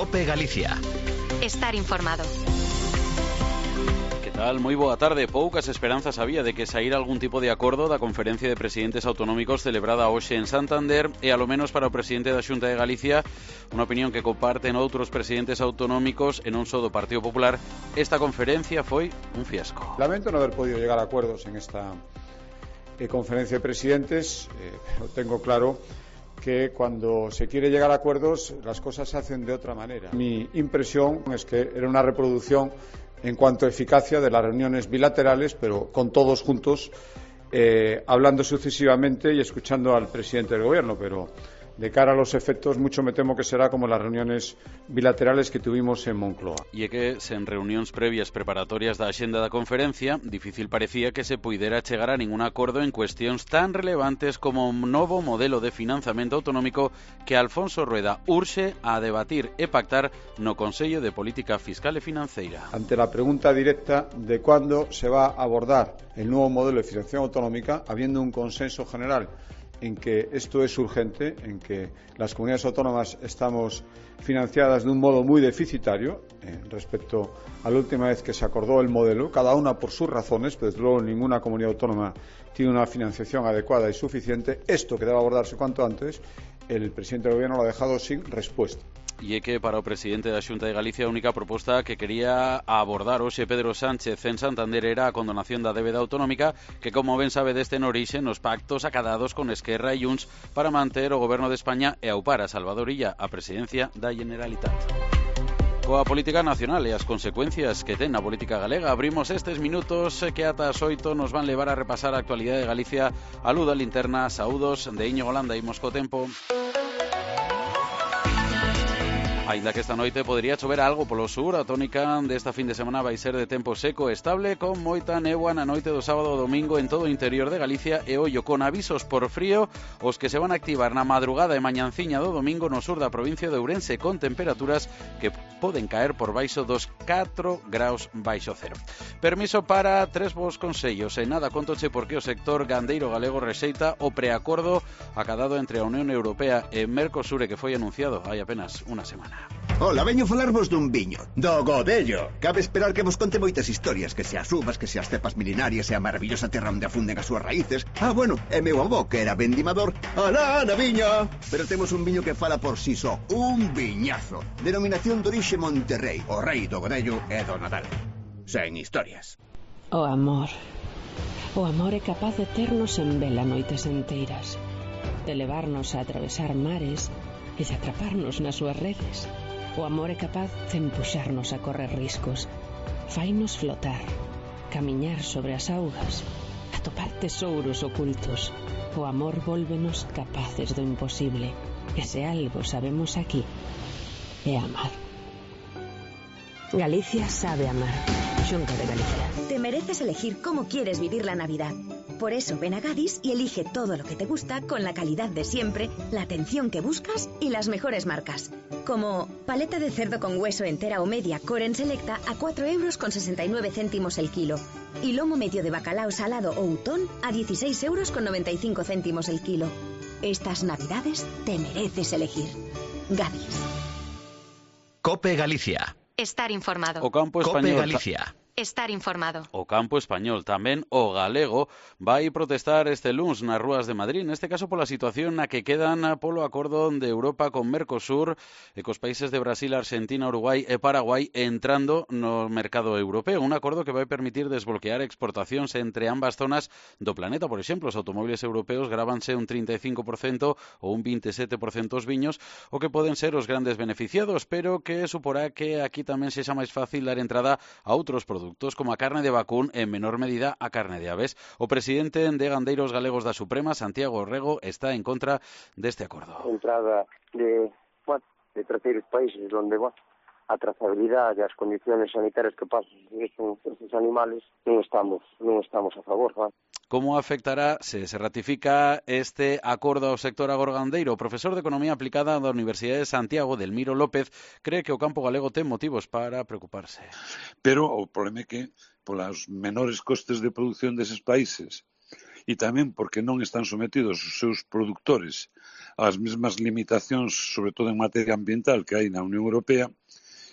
COPE Galicia. Estar informado. Que tal? Moi boa tarde. Poucas esperanzas había de que saíra algún tipo de acordo da Conferencia de Presidentes Autonómicos celebrada hoxe en Santander e, alo menos para o presidente da Xunta de Galicia, unha opinión que comparten outros presidentes autonómicos e non só do Partido Popular, esta conferencia foi un fiasco. Lamento no haber podido llegar a acuerdos en esta conferencia de presidentes, pero tengo claro que cuando se quiere llegar a acuerdos las cosas se hacen de otra manera. Mi impresión es que era una reproducción en cuanto a eficacia de las reuniones bilaterales, pero con todos juntos, hablando sucesivamente y escuchando al presidente del gobierno, pero de cara a los efectos mucho me temo que será como las reuniones bilaterales que tuvimos en Moncloa. E é que, sen reunións previas preparatorias da axenda da conferencia, difícil parecía que se puidera chegar a ningún acordo en cuestións tan relevantes como un novo modelo de financiamento autonómico que Alfonso Rueda urxe a debatir e pactar no Consello de Política Fiscal e Financeira. Ante la pregunta directa de cuándo se va a abordar el nuevo modelo de financiación autonómica, habiendo un consenso general en que esto es urgente, en que las comunidades autónomas estamos financiadas de un modo muy deficitario respecto a la última vez que se acordó el modelo, cada una por sus razones, pero desde luego ninguna comunidad autónoma tiene una financiación adecuada y suficiente. Esto que debe abordarse cuanto antes, el presidente del gobierno lo ha dejado sin respuesta. E é que para o presidente da Xunta de Galicia a única proposta que quería abordar hoxe Pedro Sánchez en Santander era a condonación da débeda autonómica que, como ben sabe, deste en orixe nos pactos acadados con Esquerra e Junts para manter o goberno de España e aupar a Salvador Illa a presidencia da Generalitat. Coa política nacional e as consecuencias que ten a política galega, abrimos estes minutos que ata as 8 nos van levar a repasar a actualidade de Galicia. A luz da linterna, saúdos de Íñigo Holanda, imos co tempo. Ainda que esta noite podería chover algo polo sur, a tónica desta fin de semana vai ser de tempo seco e estable, con moita néboa na noite do sábado ao domingo en todo o interior de Galicia e ollo con avisos por frío os que se van a activar na madrugada e mañanciña do domingo no sur da provincia de Ourense, con temperaturas que poden caer por baixo dos 4 graus baixo cero. Permiso para tres vos consellos e nada contoche porque o sector gandeiro galego rexeita o preacordo acadado entre a Unión Europea e Mercosur que foi anunciado hai apenas unha semana. Ola, veño falarvos dun viño, do Godello. Cabe esperar que vos conte moitas historias, que se as uvas, que se as cepas milenarias e a maravillosa terra onde afunden as súas raíces. Bueno, e meu avó, que era vendimador, alá na viña. Pero temos un viño que fala por si só, un viñazo. Denominación de orixe Monterrey, o rei do Godello e do Nadal. Sen historias. O amor. O amor é capaz de ternos en vela noites enteiras, de levarnos a atravesar mares e de atraparnos nas súas redes. O amor é capaz de empuxarnos a correr riscos, fainos flotar, camiñar sobre as augas, atopar tesouros ocultos. O amor vólvenos capaces do imposible, e se algo sabemos aquí, é amar. Galicia sabe amar. Xunta de Galicia. Te mereces elegir cómo quieres vivir la Navidad. Por eso ven a Gadis y elige todo lo que te gusta con la calidad de siempre, la atención que buscas y las mejores marcas. Como paleta de cerdo con hueso entera o media Coren Selecta a 4,69 € el kilo. Y lomo medio de bacalao salado o utón a 16,95 € el kilo. Estas Navidades te mereces elegir. Gadis. COPE Galicia. Estar informado. O campo español. COPE Galicia. Estar informado. O campo español, tamén o galego, vai protestar este luns nas rúas de Madrid, neste caso pola situación na que quedan polo acordo de Europa con Mercosur e cos países de Brasil, Argentina, Uruguai e Paraguai entrando no mercado europeo, un acordo que vai permitir desbloquear exportacións entre ambas zonas do planeta. Por exemplo, os automóviles europeos grábanse un 35% ou un 27% os viños, o que poden ser os grandes beneficiados, pero que suporá que aquí tamén sexa máis fácil dar entrada a outros produtos como a carne de vacún e en menor medida a carne de aves. O presidente de Gandeiros Galegos da Suprema, Santiago Rego, está en contra deste acordo. Entrada de terceiros países onde a trazabilidade e as condiciones sanitarias que pasan estes animales non estamos a favor. Como afectará se ratifica este acordo ao sector agorgandeiro? O profesor de Economía Aplicada da Universidade de Santiago, Delmiro López, cree que o campo galego ten motivos para preocuparse. Pero o problema é que polas menores costes de produción deses países e tamén porque non están sometidos os seus produtores ás mesmas limitacións, sobre todo en materia ambiental, que hai na Unión Europea,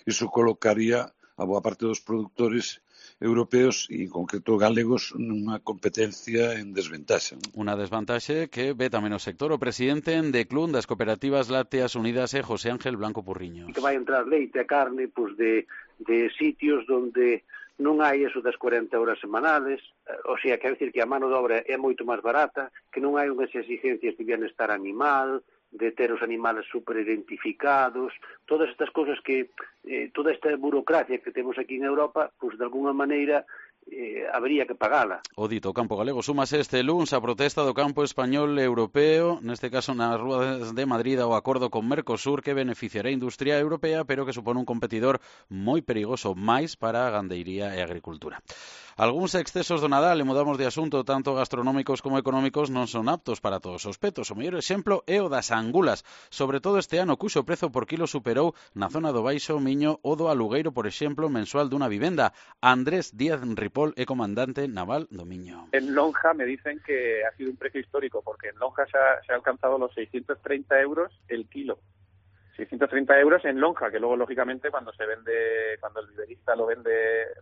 iso colocaría a boa parte dos produtores europeos e, en concreto, galegos nunha competencia en desventaxa. Unha desvantaxe que ve tamén o sector. O presidente de Clun das Cooperativas Lácteas Unidas é José Ángel Blanco Purriño. Que vai entrar leite e carne de sitios onde non hai eso das 40 horas semanales, o sea, quero dicir que a mano de obra é moito máis barata, que non hai unhas exigencias de bienestar animal, de ter os animales super identificados, todas estas cousas que, toda esta burocracia que temos aquí en Europa, pois de alguna maneira habería que pagala. O dito campo galego súmase este luns a protesta do campo español e europeo, neste caso nas rúas de Madrid, ao acordo con Mercosur que beneficiará a industria europea, pero que supón un competidor moi perigoso máis para a gandeiría e a agricultura. Algúns excesos do Nadal, e mudamos de asunto, tanto gastronómicos como económicos, non son aptos para todos os petos. O mellor exemplo é o das angulas, sobre todo este ano, cuxo prezo por kilo superou na zona do Baixo Miño o do alugueiro, por exemplo, mensual dunha vivenda. Andrés Díaz Ripoll é comandante naval do Miño. En lonja me dicen que ha sido un precio histórico, porque en lonja se ha alcanzado los 630 euros el kilo. 630 euros en lonja, que luego, lógicamente, cuando se vende, cuando el viverista lo vende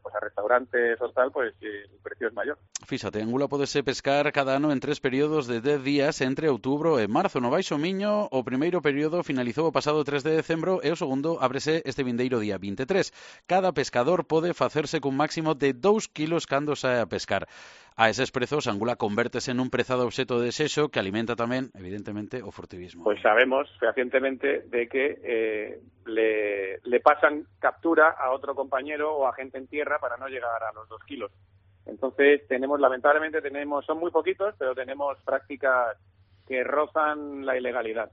pues a restaurantes o tal, pues el precio es mayor. Fíxate, angula podese pescar cada ano en 3 períodos de 10 días entre outubro e marzo. No Baixo Miño, o primeiro período finalizou o pasado 3 de decembro e o segundo ábrese este vindeiro día 23. Cada pescador pode facerse cun máximo de 2 kilos cando sae a pescar. A eses prezos, a angula convértese nun prezado obxeto de desexo que alimenta tamén, evidentemente, o furtivismo. Pues sabemos fehacientemente de que le pasan captura a otro compañero o a gente en tierra para no llegar a los 2 kilos. Entonces, lamentablemente, son muy poquitos, pero tenemos prácticas que rozan la ilegalidad.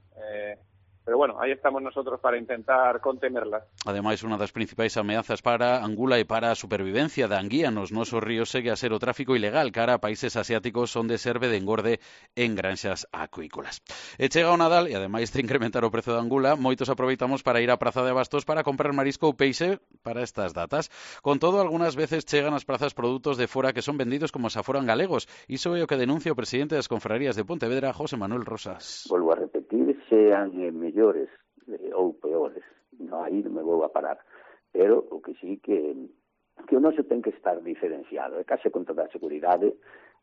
Pero bueno, aí estamos nosotros para intentar contenerlas. Ademais, unha das principais ameazas para a angula e para a supervivencia da anguía nos nosos ríos segue a ser o tráfico ilegal cara a países asiáticos onde serve de engorde en granxas acuícolas. E chega o Nadal e, ademais de incrementar o prezo da angula, moitos aproveitamos para ir á praza de Bastos para comprar marisco ou peixe para estas datas. Con todo, algunhas veces chegan ás prazas produtos de fora que son vendidos como se foran galegos. Iso é o que denuncia o presidente das confrarías de Pontevedra, José Manuel Rosas. Volvo a repetir, sean mellores ou peores, aí non me vou a parar, pero o que sí que o noso ten que estar diferenciado, e case con toda a seguridade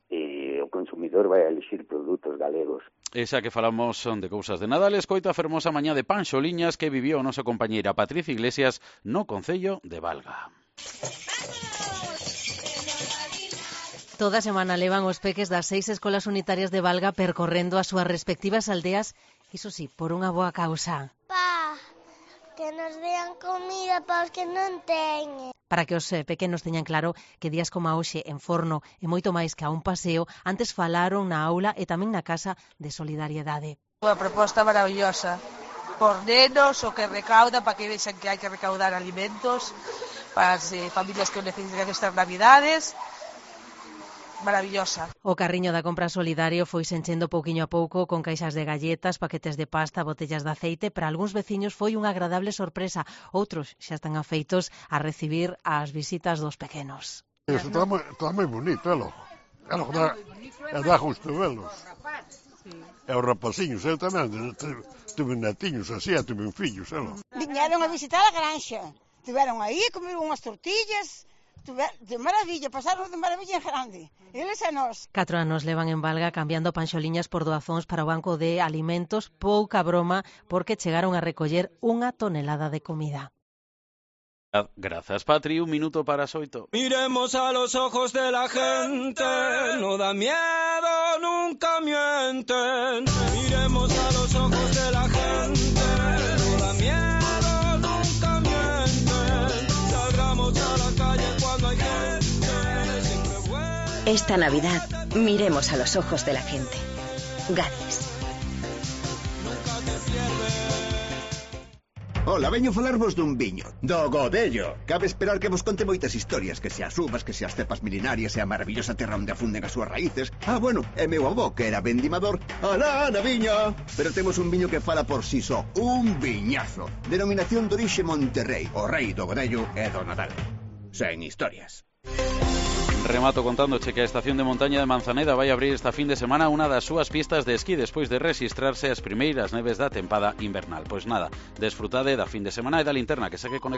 o consumidor vai a elixir produtos galegos. Esa que falamos son de cousas de Nadal, escoita a fermosa mañá de Panxoliñas que viviu a nosa compañeira Patricia Iglesias no concello de Valga. Toda semana levan os peques das 6 escolas unitarias de Valga percorrendo as súas respectivas aldeas, iso sí, por unha boa causa. Pa, que nos dean comida para os que non teñen. Para que os pequenos teñan claro que días como a hoxe en Forno e moito máis que a un paseo, antes falaron na aula e tamén na Casa de Solidariedade. Unha proposta maravillosa. Por nenos, o que recauda, para que vexan que hai que recaudar alimentos para as familias que o necesitan estas navidades. Maravillosa. O carriño da compra solidario foi enchendo pouquiño a pouco con caixas de galletas, paquetes de pasta, botellas de aceite. Para algúns veciños foi unha agradable sorpresa. Outros xa están afeitos a recibir as visitas dos pequenos. Iso está moi bonito, é logo. Dá gusto velos. E os rapaciños, eu tamén tuve netiños así, tuve fillos, é logo. Viñeron a visitar a granxa. Tiveron aí, comeron unhas tortillas. De maravilla, pasaron de maravilla en grande. Eles e nós. 4 anos levan en Valga cambiando panxoliñas por doazóns para o banco de alimentos. Pouca broma, porque chegaron a recoller 1 tonelada de comida. Gracias, Patri. 1 minuto para as 8. Miremos a los ojos de la gente, no da miedo, nunca mienten. Miremos a los ojos de la gente, no da miedo, nunca mienten. Salgamos a la calle cuando hay gente, siempre bueno. Esta Navidad, miremos a los ojos de la gente. Gadis. Ola, veño falarvos dun viño, do Godello. Cabe esperar que vos conte moitas historias, que se as uvas, que se as cepas milenarias e a maravillosa terra onde afunden as súas raíces. Bueno, e meu avó, que era vendimador, alá na viña. Pero temos un viño que fala por si só, un viñazo. Denominación de orixe Monterrey, o rei do Godello e do Nadal. Sen historias. Remato contándoche que a estación de montaña de Manzaneda vai abrir esta fin de semana unha das súas pistas de esquí despois de rexistrarse as primeiras neves da tempada invernal. Pois nada, desfrutade da fin de semana e da linterna que segue conectada.